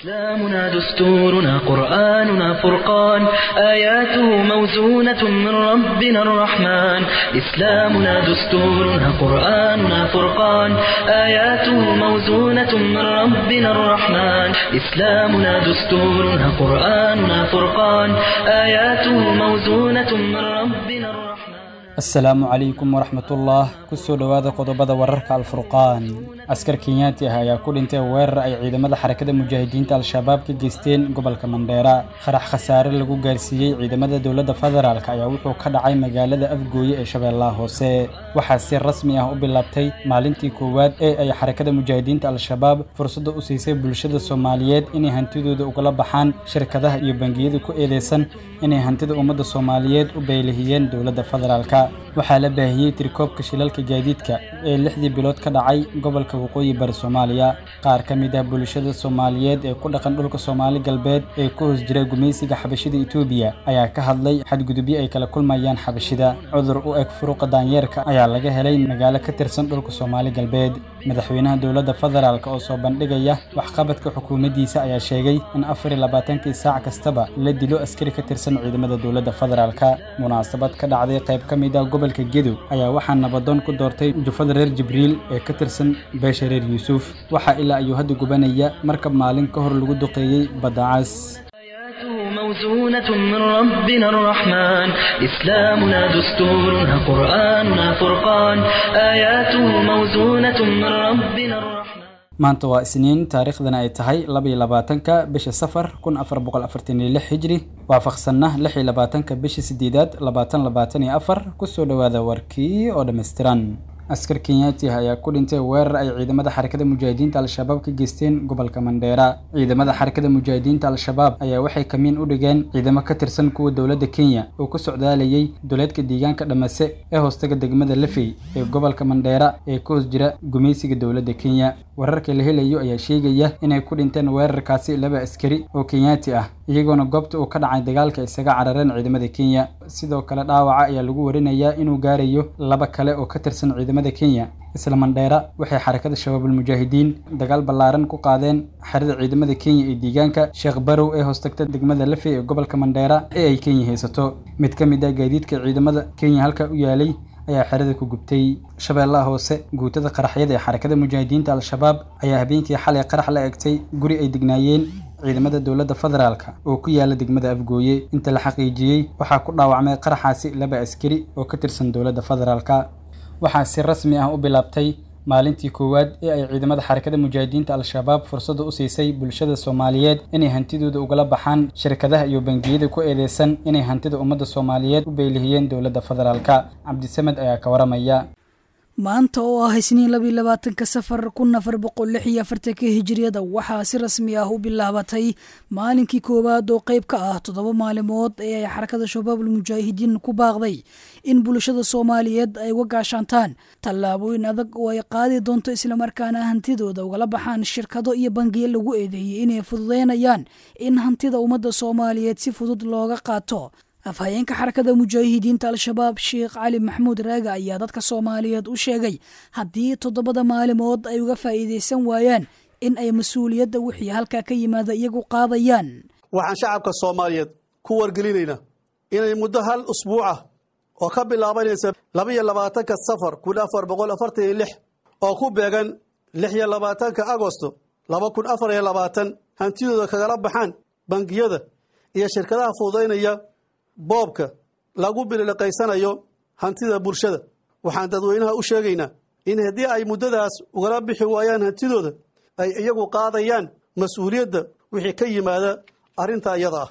إسلامنا دستورنا قرآننا فرقان آياته موزونة من ربنا الرحمن إسلامنا دستورنا قرآننا فرقان آياته موزونة من ربنا الرحمن إسلامنا دستورنا قرآننا فرقان آياته موزونة من ربنا الرحمن. Asalaamu calaykum waraxmatullah, kusoo dhowaada qodobada wararka Alfurqaan. Askar Kenyaati ah ayaa ku dhintay weerar ay ciidamada Xarakada Mujaahidiinta Al-Shabaab ka geysteen gobolka Mandheera. Qarax khasaare lagu gaarsiiyey ciidamada dowladda federaalk ayaa wuxuu ka dhacay magaalada Afgooye ee Shabeellaha Hoose. Waxaa si rasmi ah u bilaabtay maalintii koowaad ee ay Xarakada Mujaahidiinta Al-Shabaab fursadda u siisay bulshada Soomaaliyeed inay hantidooda ugala baxaan shirkadaha iyo bangiyada ku eedeysan inay hantida ummadda Soomaaliyeed u beylihiyeen dowladda federaalka. Waxaa la baahiyey tirkoobka shilalka gaadiidka ee 6dii bilood ka dhacay gobolka Waqooyi Bari Soomaaliya. Qaar ka mid ah bulshada Soomaaliyeed ee ku dhaqan dhulka Soomaali Galbeed ee ku hoos jira gumaysiga xabashida Itoobiya ayaa ka hadlay xadgudubyo ay kala kulmayaan xabashida. Cudur u eg furuqa daanyeerka ayaa laga helay magaalo ka tirsan dhulka Soomaali Galbeed. Madaxweynaha dowladda federaalk oo soo bandhigaya waxqabadka xukuumaddiisa ayaa sheegay in 24kii saac kastaba la dilo askari ka tirsan ciidamada dowladda federaalka. Munaasabad ka dhacday qayb ka mid ah gobolka Gedo ayaa waxaa nabadoon ku doortay jufada reer Jibriil ee ka tirsan beesha reer Yuusuf. Waxaa ilaa ayuu hadda gubanaya markab maalin ka hor lagu duqeeyey badda cas. آياته موزونة من ربنا الرحمن إسلامنا دستورنا قرآننا فرقان آياته موزونة من ربنا الرحمن. Maanta waa Isniin, taariikhdana ay tahay 22-ka bisha Safar 1446 Hijri, waafaqsanna 26-ka bisha sideedaad 2024. Kusoo dhowaada warkii oo dhammaystiran. Askar Kenyaati ah ayaa ku dhintay weerar ay ciidamada Xarakada Mujaahidiinta Al-Shabaab ka geysteen gobolka Mandheera. Ciidamada Xarakada Mujaahidiinta Al-Shabaab ayaa waxay kamiin u dhigeen ciidamo ka tirsan kuwa dowladda Kenya oo ku socdaalayay duleedka deegaanka Dhamase ee hoostaga degmada Lafey ee gobolka Mandheera ee ku hoos jira gumaysiga dowladda Kenya. Wararka la helayo ayaa sheegaya inay ku dhinteen weerarkaasi laba askari oo Kenyaati ah, iyagoona goobta uu ka dhacay dagaalka isaga carareen ciidamada Kenya. Sidoo kale dhaawaca ayaa lagu warinayaa inuu gaarayo laba kale oo ka tirsan ciidamada Kenya. Isla Mandheera waxay Xarakada Shabaabul Mujaahidiin dagaal ballaaran ku qaadeen xerada ciidamada Kenya ee deegaanka Sheekh Barow ee hoostagta degmada Lafey ee gobolka Mandheera ee ay Kenya haysato. Mid ka mid ah gaadiidka ciidamada Kenya halka u yaalay ayaa xerada ku gubtay. Shabeellaha Hoose, guutada qaraxyada ee Xarakada Mujaahidiinta Al-Shabaab ayaa habeenkii xalay qarax la egtay guri ay degnaayeen ciidamada dowladda federaalka oo ku yaala degmada Afgooye. Inta la xaqiijiyey waxaa ku dhaawacmay qaraxaasi laba askari oo ka tirsan dowladda federaalka. Waxaa si rasmi ah u bilaabtay maalintii koowaad ee ay ciidamada Xarakada Mujaahidiinta Al-Shabaab fursadda u siisay bulshada Soomaaliyeed inay hantidooda ugala baxaan shirkadaha iyo bangiyada ku eedeysan inay hantida ummadda Soomaaliyeed u beylihiyeen dowladda federaalka. Cabdisamed ayaa ka waramaya. Maanta oo ah Isniin 22-ka Safar 1446-ka Hijiriyada, waxaa si rasmi ah u bilaabatay maalinkii koowaad oo qayb ka ah 7 maalimood ee ay Xarakada Shabaabul Mujaahidiin ku baaqday in bulshada Soomaaliyeed ay uga gaashaantaan tallaabooyin adag oo ay qaadi doonto, islamarkaana hantidooda ugala baxaan shirkado iyo bangiyo lagu eedeeyey inay fududeynayaan in hantida ummadda Soomaaliyeed si fudud looga qaato. Afhayeenka Xarakada Mujaahidiinta Al-Shabaab, Sheekh Cali Maxamuud Raaga, ayaa dadka Soomaaliyeed u sheegay haddii 7da maalimood ay uga faa'iidaysan waayaan in ay mas-uuliyadda wixii halkaa ka yimaada iyagu qaadayaan. Waxaan shacabka Soomaaliyeed ku wargelinaynaa inay muddo hal usbuuc ah oo ka bilaabanaysa 22-ka Safar 1446 oo ku beegan 26-ka Agosto 2024 hantidooda kagala baxaan bangiyada iyo shirkadaha fududaynaya boobka lagu bililiqaysanayo hantida bulshada. Waxaan dadweynaha u sheegaynaa in haddii ay muddadaas ugala bixi waayaan hantidooda, ay iyagu qaadayaan mas-uuliyadda wixii ka yimaada arrintaa iyada ah.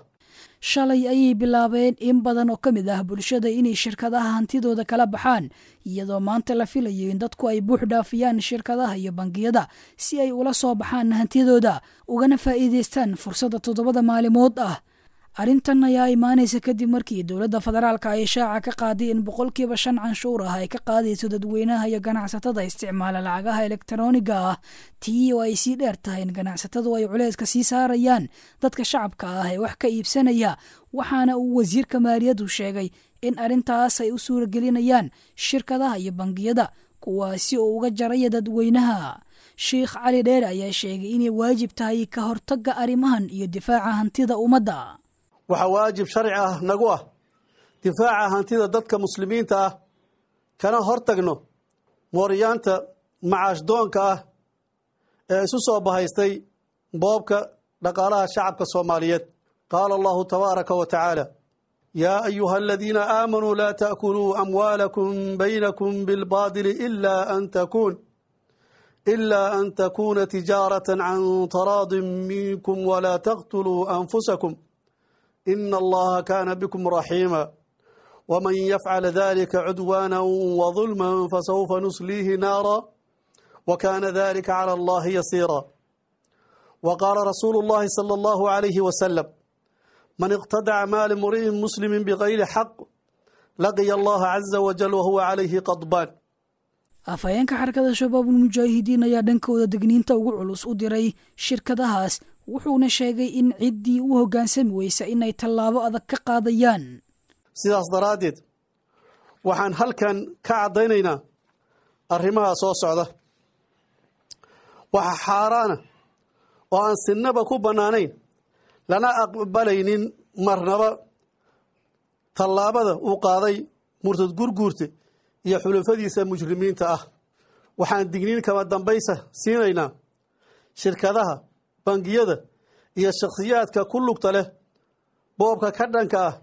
Shalay ayay bilaabeen in badan oo ka mid ah bulshada inay shirkadaha hantidooda kala baxaan, iyadoo maanta la filayo in dadku ay buux dhaafiyaan shirkadaha iyo bangiyada si ay ula soo baxaan hantidooda ugana faa'iidaystaan fursadda 7da maalimood ah. Arrintan ayaa imaanaysa kadib markii dowladda federaalka ay shaaca ka qaaday in 5% canshuur ah ay ka qaadayso dadweynaha iyo ganacsatada isticmaala lacagaha elektarooniga ah, tii oo ay sii dheer tahay in ganacsatadu ay culayska sii saarayaan dadka shacabka ah ee wax ka iibsanaya. Waxaana uu wasiirka maaliyaddu sheegay in arrintaas ay u suuragelinayaan shirkadaha iyo bangiyada, kuwaasi oo uga jaraya dadweynaha. Sheekh Cali Dheere ayaa sheegay inay waajib tahay ka hortagga arrimahan iyo difaaca hantida ummadda. Waxaa waajib sharci ah nagu ah difaaca hantida dadka muslimiinta ah, kana hortagno mooryaanta macaash doonka ah ee isu soo bahaystay boobka dhaqaalaha shacabka Soomaaliyeed. Qaala Allahu tabaaraka wa tacaala: yaa ayuha aladiina aamanuu laa ta'kuluu amwaalakum baynakum bilbaadili ilaa an takuuna tijaaratan can taraadin minkum walaa taqtuluu anfusakum ina allaha kaana bikum raxiima waman yafcal dalika cudwaana wadulma fasawfa nusliihi naara wakaana dalika cala allahi yasiira. Waqaala rasuulu llahi sala allahu alayhi wasalam: man iqtadaca maala imri'in muslimin bigayri xaq laqiya allaha caza wajal wahuwa calayhi qadbaan. Afhayeenka Xarakada Shabaabul Mujaahidiin ayaa dhankooda degniinta ugu culus u diray shirkadahaas, wuxuuna sheegay in ciddii u hoggaansami weysa inay tallaabo adag ka qaadayaan. Sidaas daraaddeed waxaan halkan ka caddaynaynaa arrimaha soo socda. Waxaa xaaraana oo aan sinaba ku bannaanayn lana aqbalaynin marnaba tallaabada uu qaaday murtad Gurguurte iyo xulufadiisa mujrimiinta ah. Waxaan digniin kama dambaysa siinaynaa shirkadaha, bangiyada iyo shakhsiyaadka ku lugta leh boobka ka dhanka ah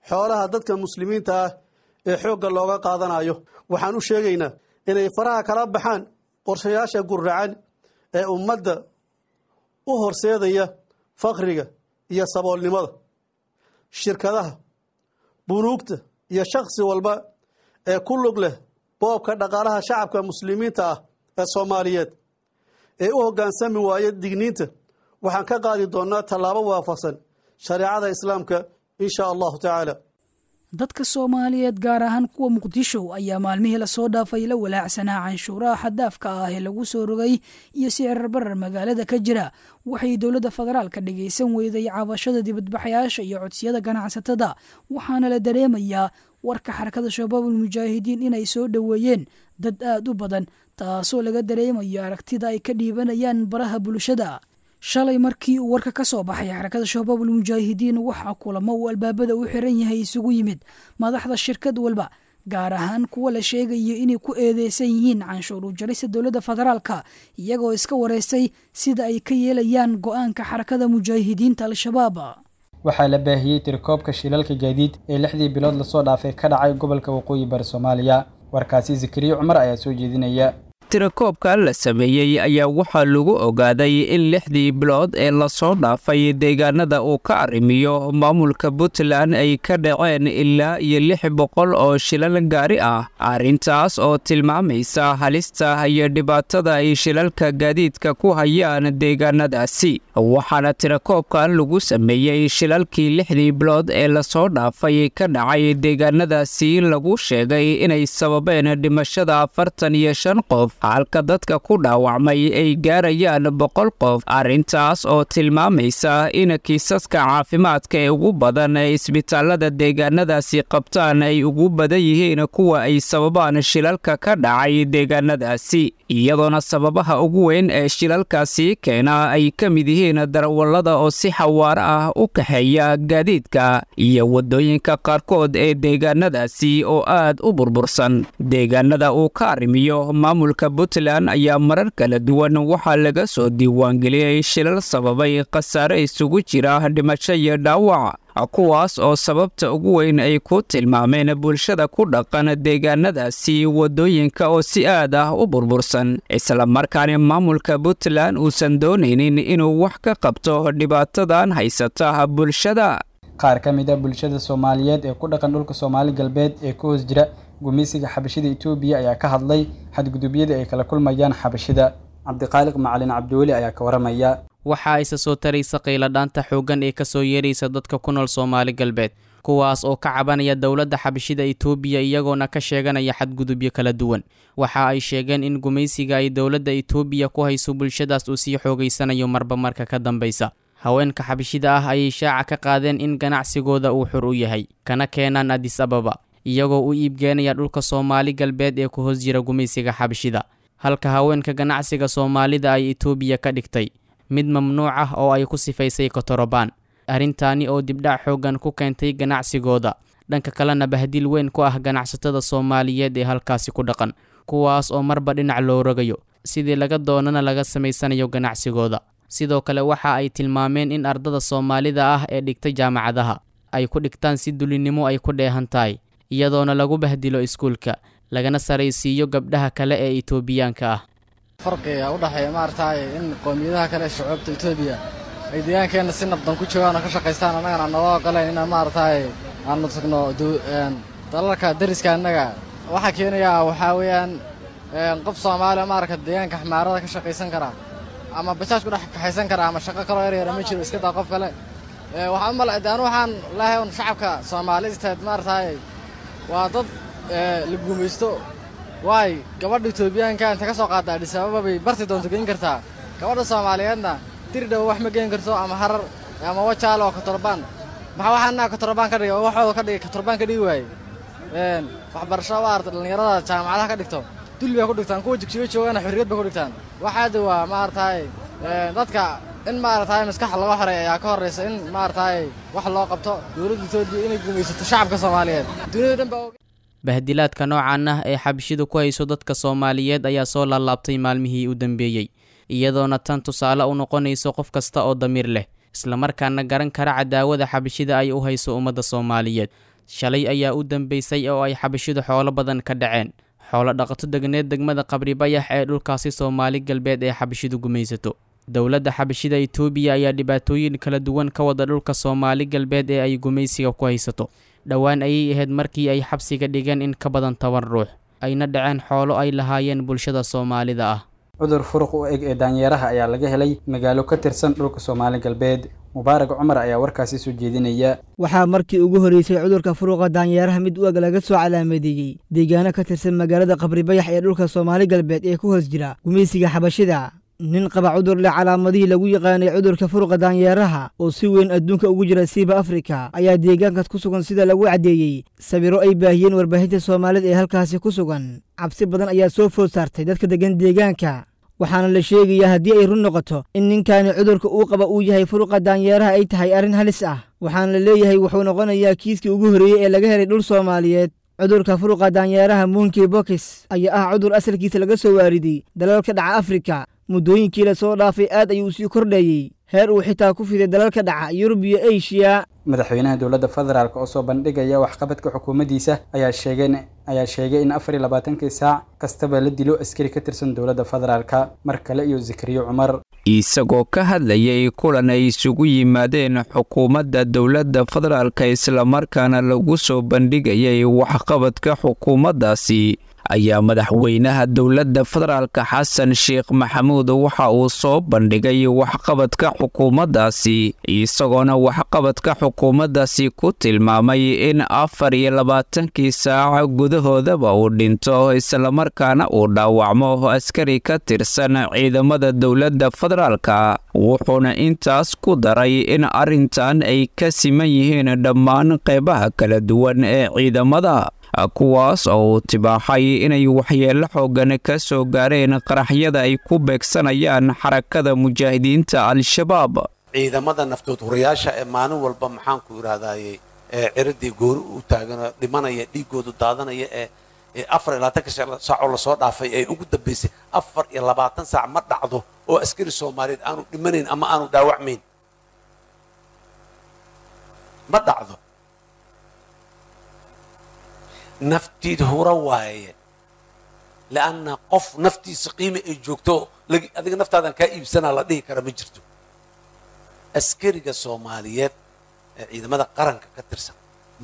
xoolaha dadka muslimiinta ah ee xoogga looga qaadanayo. Waxaan u sheegaynaa inay faraha kala baxaan qorshayaasha guracan ee ummadda u horseedaya fakriga iyo saboolnimada. Shirkadaha, bunuugta iyo shakhsi walba ee ku lug leh boobka dhaqaalaha shacabka muslimiinta ah ee Soomaaliyeed ee u hoggaansami waaya digniinta, waxaan ka qaadi doonnaa tallaabo waafaqsan shareecada Islaamka, insha allahu tacaala. Dadka Soomaaliyeed, gaar ahaan kuwa Muqdisho, ayaa maalmihii lasoo dhaafay la walaacsanaa canshuuraha xaddaafka ah ee lagu soo rogay iyo sicir barar magaalada ka jira. Waxay dowladda federaalka dhagaysan weyday cabashada dibadbaxayaasha iyo codsiyada ganacsatada, waxaana la dareemayaa warka Xarakada Shabaabul Mujaahidiin inay soo dhoweeyeen dad aad u badan, taasoo laga dareemayo aragtida ay ka dhiibanayaan baraha bulshada. Shalay markii uu warka ka soo baxay Xarakada Shabaabul Mujaahidiin, waxaa kulamo uu albaabada u xiran yahay isugu yimid madaxda shirkad walba, gaar ahaan kuwa la sheegayo inay ku eedeysan yihiin canshuur u jarista dowladda federaalka, iyagoo iska wareystay sida ay ka yeelayaan go'aanka Xarakada Mujaahidiinta Al-Shabaab. Waxaa la baahiyey tirakoobka shilalka gaadiid ee 6dii bilood lasoo dhaafay ka dhacay gobolka Waqooyi Bari Soomaaliya. Warkaasi Zakariya Cumar ayaa soo jeedinaya. Tirakoobka la sameeyey ayaa waxaa lagu ogaaday in 6dii bilood ee lasoo dhaafay deegaanada uu ka arrimiyo maamulka Puntland ay ka dhaceen ilaa iyo 600 oo shilal gaari ah, arrintaas oo tilmaamaysa halista iyo dhibaatada ay shilalka gaadiidka ku hayaan deegaanadaasi. Waxaana tirakoobkan lagu sameeyey shilalkii 6dii bilood ee lasoo dhaafay ka dhacay deegaanadaasi lagu sheegay inay sababeen dhimashada 45 qof, halka dadka ku dhaawacmay ay gaarayaan 100 qof, arrintaas oo tilmaamaysa in kiisaska caafimaadka ee ugu badan ee isbitaalada deegaanadaasi qabtaan ay ugu badan yihiin kuwa ay sababaan shilalka ka dhacay deegaanadaasi, iyadoona sababaha ugu weyn ee shilalkaasi keena ay ka mid yihiin darawallada oo si xawaaro ah u kaxeeya gaadiidka iyo waddooyinka qaarkood ee deegaanadaasi oo aad u burbursan. Deegaanada uu ka arrimiyo maamulka Puntland ayaa marar kala duwan waxaa laga soo diiwaangeliyey shilal sababay khasaare isugu jira dhimasho iyo dhaawac, kuwaas oo sababta ugu weyn ay ku tilmaameen bulshada ku dhaqan deegaanadaasi waddooyinka oo si aad ah u burbursan, islamarkaana maamulka Puntland uusan doonaynin inuu wax ka qabto dhibaatadan haysata bulshada. Qaar ka mid ah bulshada Soomaaliyeed ee ku dhaqan dhulka Soomaali Galbeed ee ku hoos jira gumeysiga xabashida Itoobiya ayaa ka hadlay xadgudubyada ay kala kulmayaan xabashida. Cabdiqaaliq Macalin Cabdiweli ayaa ka waramaya. Waxaa isa soo taraysa qayladhaanta xooggan ee kasoo yeeraysa dadka ku nool Soomaali Galbeed, kuwaas oo ka cabanaya dowladda xabashida Itoobiya, iyagoona ka sheeganaya xadgudubyo kala duwan. Waxa ay sheegeen in gumaysiga ay dowladda Itoobiya ku hayso bulshadaas uu sii xoogaysanayo marba marka ka dambaysa. Haweenka xabashida ah ayay shaaca ka qaadeen in ganacsigooda uu xur u yahay, kana keenaan Addis Ababa, iyagoo u iibgeenaya dhulka Soomaali Galbeed ee ku hoos jira gumaysiga xabashida. Halka haweenka ganacsiga Soomaalida ay Itoobiya ka dhigtay mid mamnuuc ah oo ay ku sifaysay kotorobaan, arrintaani oo dibdhac xooggan ku keentay ganacsigooda, dhanka kalena bahdil weyn ku ah ganacsatada Soomaaliyeed ee halkaasi ku dhaqan, kuwaas oo marba dhinac loo rogayo sidii laga doonana laga samaysanayo ganacsigooda. Sidoo kale waxa ay tilmaameen in ardada Soomaalida ah ee dhigtay jaamacadaha ay ku dhigtaan si dulinimo ay ku dheehan tahay, iyadoona lagu bahdilo iskuulka lagana saraysiiyo gabdhaha kale ee Itoobiyaanka ah. Farqiga u dhexeeya maaragtay in qoomiyadaha kale ee shucuubta Itoobiya ay deegaankeenna si nabdan ku joogaan oo ka shaqaystaan, annagana aan naloo ogoleen inaan maaragtay aanu tagno dalalka dariska annaga. Waxaa keenayaa waxaa weeyaan qof Soomaaliya maaragta deegaanka xmaarada ka shaqaysan kara ama bajaaj ku dhex kaxaysan kara ama shaqo kaloo yar yara ma jiro, iska daa qof kale. Waxaan u malay anu waxaan leeyahay un shacabka Soomaalisteed maaragtay waa dad la guumaysto. Waay gabadha Itoobiyaanka inta ka soo qaadda Addis Ababa bay barti doonto geyn kartaa, gabadha Soomaaliyeedna Dirdhaw wax ma geyn karto ama Harar ama Wajaale oo Kotorbaan. Maxaa waxaana Kotorbaan ka dhigay oo waxooda ka dhigay Kotorbaan ka dhigi waayey? Waxbarasho waa arda dhallinyarada jaamacadaha ka dhigto dulli bay ku dhigtaan, kuwa jigjigo joogana xorriyad bay ku dhigtaan. Waxaadi waa maaragtay dadka in maaragtay maskaxa laga xoreeyo ayaa ka horreysa in maaragtay wax loo qabto dowladda Itoobiya inay gumaysato shacabka Soomaaliyeed dunida dhan baa. Bahdilaadka noocan ah ee xabashidu ku hayso dadka Soomaaliyeed ayaa soo laalaabtay maalmihii u dambeeyey, iyadoona tan tusaale u noqonayso qof kasta oo damiir leh islamarkaana garan kara cadaawada xabashida ay u hayso ummadda Soomaaliyeed. Shalay ayaa u dambeysay oo ay xabashidu xoolo badan ka dhaceen xoolo dhaqato degneed degmada Qabri Bayax ee dhulkaasi Soomaali Galbeed ee xabashidu gumaysato. Dowladda xabashida Itoobiya ayaa dhibaatooyin kala duwan ka wada dhulka Soomaali Galbeed ee ay gumaysiga ku haysato. Dhowaan ayay ahayd markii ay xabsiga dhigeen in ka badan 10 ruux, ayna dhaceen xoolo ay lahaayeen bulshada Soomaalida ah. Cudur furuq u eg ee daanyeeraha ayaa laga helay magaalo ka tirsan dhulka Soomaali Galbeed. Mubaarak Cumar ayaa warkaasi soo jeedinaya. Waxaa markii ugu horreysay cudurka furuqa daanyeeraha mid u eg laga soo calaamadeeyey deegaano ka tirsan magaalada Qabri Bayax ee dhulka Soomaali Galbeed ee ku hoos jira gumaysiga xabashida. Nin qaba cudur leh calaamadihii lagu yaqaanay cudurka furuqa daanyeeraha oo si weyn adduunka ugu jira siiba Afrika ayaa deegaankaas ku sugan, sida lagu caddeeyey sawirro ay baahiyeen warbaahinta Soomaalida ee halkaasi ku sugan. Cabsi badan ayaa soo food saartay dadka deggan deegaanka, waxaana la sheegayaa haddii ay run noqoto in ninkaani cudurka uu qaba uu yahay furuqa daanyeeraha ay tahay arrin halis ah. Waxaana la leeyahay wuxuu noqonayaa kiiskii ugu horreeyey ee laga helay dhul Soomaaliyeed. Cudurka furuqa daanyeeraha monkey pox ayaa ah cudur asalkiisa laga soo waariday dalalka dhaca Afrika. Muddooyinkii la soo dhaafay aad ayuu sii kordhayey, heer uu xitaa ku fiday dalalka dhaca Yurub iyo Asia. Madaxweynaha dowladda federaalk oo soo bandhigaya waxqabadka xukuumaddiisa ayaa sheegay in 24kii saac kastaba la dilo askari ka tirsan dowladda federaalka. Mar kale iyo Zikriyo Cumar. Isagoo ka hadlayay kulan ay isugu yimaadeen xukuumadda dowladda federaalka islamarkaana lagu soo bandhigayay waxqabadka xukuumaddaasi, ayaa madaxweynaha dowladda federaalka Xasan Sheekh Maxamuud waxa uu soo bandhigay waxqabadka xukuumaddaasi, isagoona waxqabadka xukuumaddaasi ku tilmaamay in 24kii saac gudahoodaba uu dhinto islamarkaana uu dhaawacmo askari ka tirsan ciidamada dowladda federaalka. Wuxuuna intaas ku daray in arrintan ay ka siman yihiin dhammaan qeybaha kala duwan ee ciidamada, kuwaas oo uu tibaaxay inay waxyeello xooggan ka soo gaareen qaraxyada ay ku beegsanayaan xarakada mujaahidiinta Al-Shabaab. Ciidamada naftood hurayaasha ee maalin walba maxaan ku yidhahdaaye ee ciridii goori u taagan dhimanaya, dhiigoodu daadanaya ee 24 saac oo lasoo dhaafay ee ugu dambeysay 24 saac ma dhacdo oo askari Soomaaliyeed aanu dhimanayn ama aanu dhaawacmayn, ma dhacdo. Naftiid hura waaye, lianna qof naftiisa qiime ay joogto adiga naftaadan kaa iibsanaa la dhihi kara ma jirto. Askariga Soomaaliyeed ee ciidamada qaranka ka tirsan,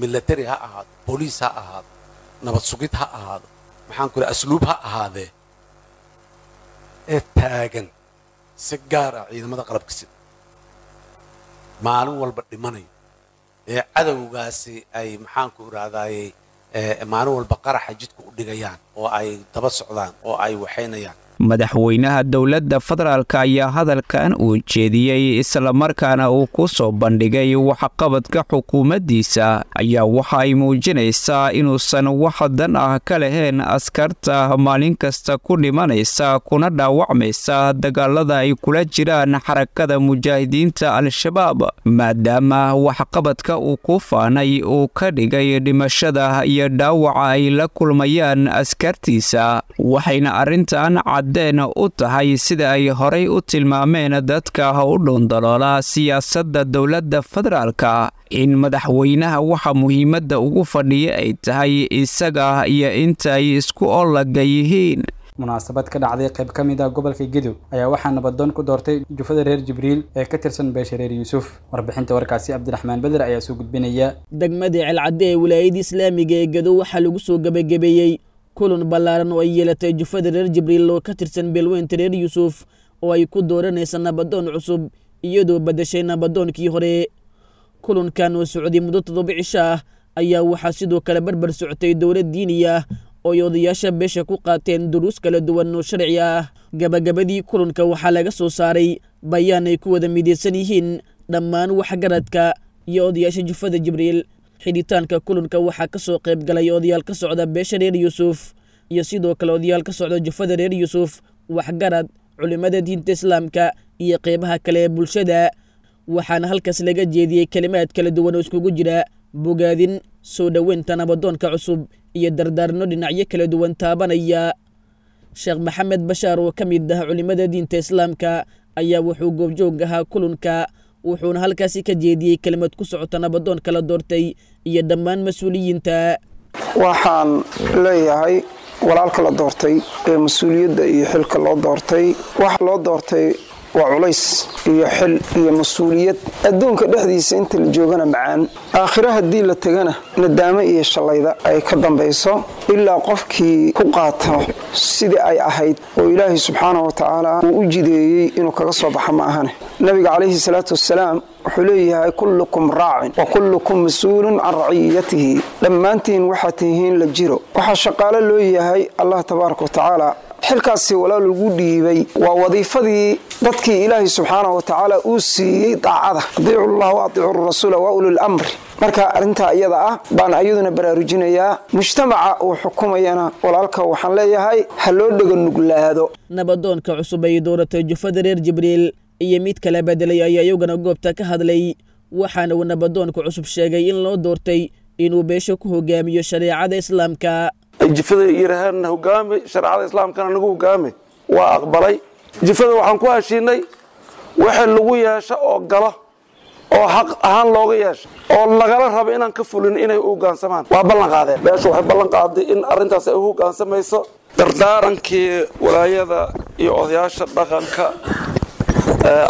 military ha ahaado, booliis ha ahaado, nabad sugid ha ahaado, maxaan ku asluub ha ahaadee, ee taagan si gaar ah ciidamada qalabka sida maalin walba dhimanayo ee cadowgaasi ay maxaan ku idhahdaaye maalin walba qaraxa jidka u dhigayaan oo ay daba socdaan oo ay waxaynayaan. Madaxweynaha dowladda federaalka ayaa hadalkan uu jeediyey islamarkaana uu ku soo bandhigay waxqabadka xukuumaddiisa ayaa waxa ay muujinaysaa inuusan wax dan ah ka lahayn askarta maalin kasta ku dhimanaysa kuna dhaawacmaysa dagaalada ay kula jiraan Xarakada Mujaahidiinta Al-Shabaab, maadaama waxqabadka uu ku faanay uu ka dhigay dhimashada iyo dhaawaca ay la kulmayaan askartiisa. Waxayna arrintan caddeen u tahay sida ay horay u tilmaameen dadka u dhuundaloola siyaasadda dowladda federaalka in madaxweynaha waxa muhiimadda ugu fadhiya ay tahay isaga iyo inta ay isku olaga yihiin. Munaasabad ka dhacday qayb ka mid ah gobolka Gedo ayaa waxaa nabadoon ku doortay jufada reer Jibriil ee ka tirsan beesha reer Yuusuf. Warbixinta warkaasi Cabdiraxmaan Beder ayaa soo gudbinaya. Degmada Celcadde ee wilaayada islaamiga ee Gedo waxaa lagu soo gabagabeeyey kulan ballaaran oo ay yeelatay jufada reer Jibriil oo ka tirsan beelweynta reer Yuusuf oo ay ku dooranaysa nabadoon cusub, iyadoo badashay nabadoonkii hore. Kulankan oo socday muddo 7 cisho ah ayaa waxaa sidoo kale barbar socotay dowlad diini ah oo ay odayaasha beesha ku qaateen duruus kala duwan oo sharci ah. Gabagabadii kulanka waxaa laga soo saaray bayaan ay ku wada midaysan yihiin dhammaan waxgaradka iyo odayaasha jufada Jibriil. Xidhitaanka kulanka waxaa ka soo qayb galay odayaal ka socda beesha reer Yuusuf iyo sidoo kale odayaal ka socda jufada reer Yuusuf, waxgarad, culimmada diinta islaamka iyo qeybaha kale ee bulshada. Waxaana halkaas laga jeediyey kelimaad kala duwan oo iskugu jira bogaadin, soo dhoweynta nabadoonka cusub iyo dardaarno dhinacyo kala duwan taabanaya. Sheekh Maxamed Bashaar oo ka mid ah culimmada diinta islaamka ayaa wuxuu goobjoog ahaa kulanka, wuxuuna halkaasi ka jeediyey kelimad ku socota nabadoonka la doortay iyo dhammaan mas-uuliyiinta. Waxaan leeyahay walaalka la doortay ee mas-uuliyadda iyo xilka loo doortay, waxa loo doortay waa culays iyo xil iyo mas-uuliyad. Adduunka dhexdiisa inta la joogana macaan, aakhiro haddii la tegana nadaamo iyo shallayda ay ka dambayso, ilaa qofkii ku qaato sidii ay ahayd oo Ilaahay subxaana wa tacaala uu u jideeyey inuu kaga soo baxo ma ahane. Nabiga calayhi salaatu wassalaam wuxuu leeyahay kullukum raacin wa kullukum mas-uulun can raciyatihi. Dhammaantiin waxaa tihiin la jiro, waxaa shaqaalo loo yahay Allah tabaaraka wa tacaala. Xilkaasi walaal lagu dhiibay waa wadiifadii dadkii Ilaahay subxaana wa tacaala uu siiyey daacada, adiicu llah wa adiicu rasuula wa ulil amri. Marka arrintaa iyada ah baan ayaduna baraarujinayaa mujtamaca uu xukumayana. Walaalka waxaan leeyahay ha loo dhega nuglaado. Nabadoonka cusub ay dooratay jufada reer Jibriil iyo mid kala bedelay ayaa iyagana goobta ka hadlay, waxaana uu nabadoonka cusub sheegay in loo doortay inuu beesha ku hogaamiyo shareecada islaamka. Ay jifada yidhaaheen hogaami shareecada islaamkana nagu hogaami, waa aqbalay. Jifada waxaan ku heshiinay wixii lagu yeesho oo galo oo xaq ahaan looga yeesho oo lagala rabo inaan ka fulin inay u hoggaansamaan. Waa ballan qaadeen, beeshu waxay ballan qaaday in arrintaas ay u hoggaansamayso. Dardaarankii walaayada iyo odayaasha dhaqanka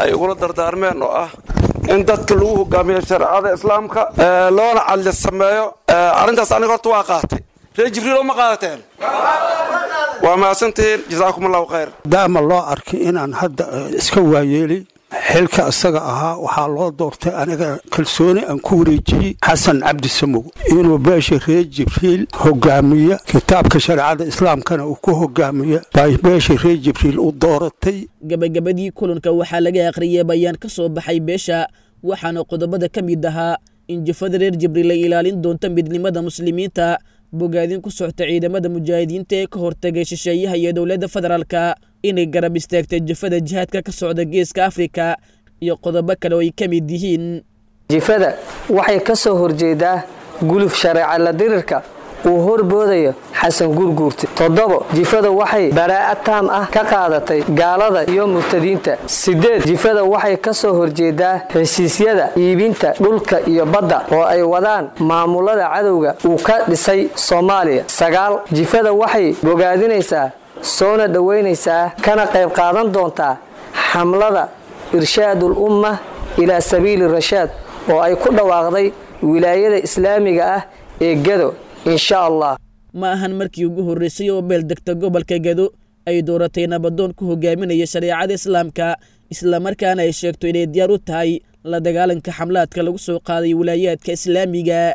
ay ugula dardaarmeen oo ah in dadka lagu hogaamiyo shareecada islaamka loona cadli sameeyo, arrintaas aniga horta waa qaatay. Reer Jibriil ma qaadateen? Waa mahadsantihiin, jasaakum allahu khayr. Daama loo arkay inaan hadda iska waayeelay xilka isaga ahaa, waxaa loo doortay aniga kalsooni aan ku wareejiyey Xasan Cabdi Samow inuu beesha reer Jibriil hogaamiya, kitaabka shareecada islaamkana uu ku hogaamiya bay beesha reer Jibriil u dooratay. Gabagabadii kulanka waxaa laga akhriyey bayaan ka soo baxay beesha, waxaana qodobada ka mid ahaa in jufada reer Jibriil ay ilaalin doonto midnimada muslimiinta, bogaadin ku socota ciidamada mujaahidiinta ee ka hortagay shisheeyaha iyo dowladda federaalka, inay garab istaagtay jufada jihaadka ka socda geeska Afrika iyo qodobo kale oo ay ka mid yihiin. Jifada waxay ka soo horjeedaa guluf shareeca la dirirka uu horboodayo Xasan Gurguurte. 7, jifada waxay baraa'a taam ah ka qaadatay gaalada iyo murtadiinta. 8, jifada waxay ka soo horjeedaa heshiisyada iibinta dhulka iyo badda oo ay wadaan maamulada cadowga uu ka dhisay Soomaaliya. 9, jifada waxay bogaadinaysaa, soona dhoweynaysaa, kana qayb qaadan doontaa xamlada irshaadul umma ilaa sabiili rashaad oo ay ku dhawaaqday wilaayada islaamiga ah ee Gado, insha Allah. Ma ahan markii ugu horreysay oo beel degta gobolka Gado ay dooratay nabadoon ku hogaaminaya shareecada islaamka, islamarkaana ay sheegto inay diyaar u tahay la dagaalanka xamlaadka lagu soo qaaday wilaayaadka islaamiga.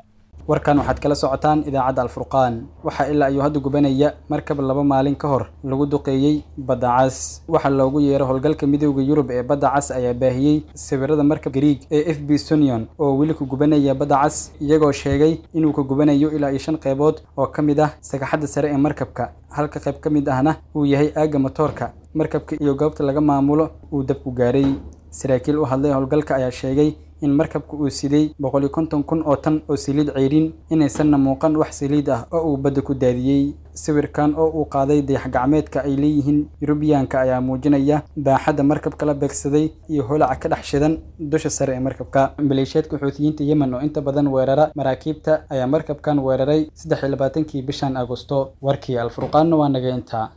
Warkan waxaad kala socotaan idaacadda Alfurqaan. Waxaa ilaa ayuu hadda gubanaya markab 2 maalin ka hor lagu duqeeyey badda cas. Waxaa loogu yeero howlgalka Midowda Yurub ee badda cas ayaa baahiyey sawirada markab Gariig ee FB Sunion oo weli ku gubanaya badda cas, iyagoo sheegay inuu ka gubanayo ilaa iyo 5 qaybood oo ka mid ah sagaxadda sare ee markabka, halka qayb ka mid ahna uu yahay aagga matoorka markabka iyo goobta laga maamulo uu dabku gaaray. Saraakiil u hadlay howlgalka ayaa sheegay in markabku uu siday 150,000 oo tan oo saliid ceyrin, inaysanna muuqan wax saliid ah oo uu badda ku daadiyey. Sawirkan oo uu qaaday dayax-gacmeedka ay leeyihiin Yurubiyaanka ayaa muujinaya baaxadda markabka la beegsaday iyo holaca ka dhex shidan dusha sare ee markabka. Maleeshiyaadka Xuutiyiinta Yemen oo inta badan weerara maraakiibta ayaa markabkan weeraray 23-kii bishan Agosto. Warkii Alfurqaanna waa naga intaa.